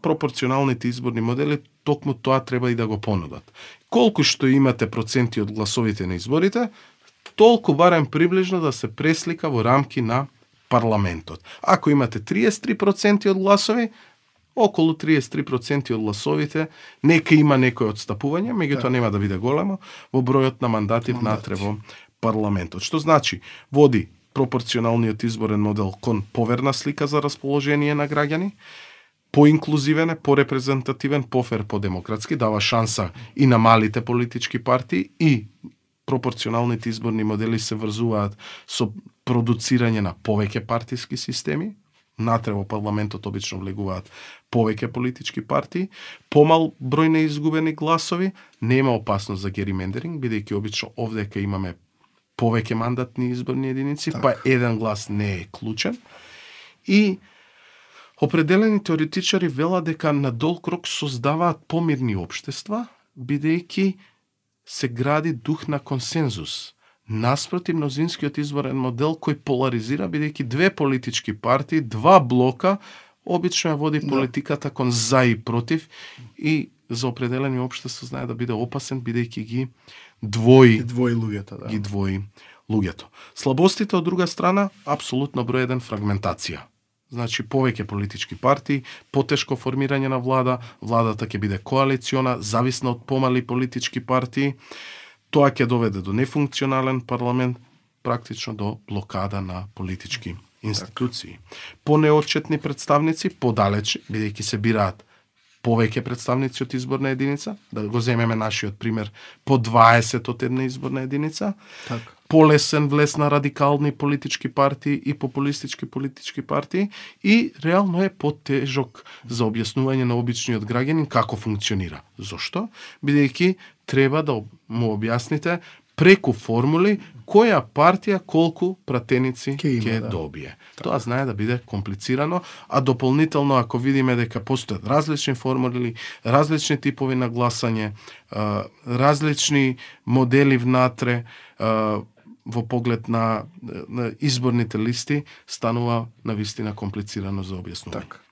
пропорционалните изборни модели токму тоа треба и да го понудат. Колку што имате проценти од гласовите на изборите, толку барем приближно да се преслика во рамки на парламентот. Ако имате 33% од гласови, околу 33% од гласовите, нека има некој отстапување, меѓутоа нема да биде големо во бројот на мандати внатре во парламентот. Што значи, води пропорционалниот изборен модел кон поверна слика за расположение на граѓани, поинклузивен е, порепрезентативен, пофер, подемократски, дава шанса и на малите политички партии и пропорционалните изборни модели се врзуваат со продуцирање на повеќе партиски системи. Натре во парламентот обично влегуваат повеќе политички партии, помал број на изгубени гласови, нема опасност за геримендеринг, бидејќи обично овдека имаме повеќе мандатни изборни единици, па еден глас не е клучен. И определени теоретичари велат дека на долг рок создаваат помирни општества, бидејќи се гради дух на консензус. Наспроти мнозинскиот изборен модел кој поларизира, бидејќи две политички партии, два блока, обично ја води политиката кон за и против и за определени општества знае да биде опасен, бидејќи ги двои луѓето. Ги двои луѓето. Слабостите од друга страна, апсолутно број 1 фрагментација. Значи, повеќе политички партии, потешко формирање на влада, владата ќе биде коалициона, зависна од помали политички партии, тоа ќе доведе до нефункционален парламент, практично до блокада на политички институции. Понеотчетни представници, подалеч, бидејќи се бираат повеќе представници од изборна единица, да го земеме нашиот пример, по 20 од една изборна единица, полесен влез на радикални политички партии и популистички политички партии и реално е потежок за објаснување на обичниот граѓанин како функционира. Зошто? Бидејќи треба да му објасните преку формули која партија колку пратеници ќе добие. Тоа знае да биде комплицирано, а дополнително ако видиме дека постојат различни формули, различни типови на гласање, различни модели внатре, во поглед на изборните листи, станува навистина комплицирано за објаснување.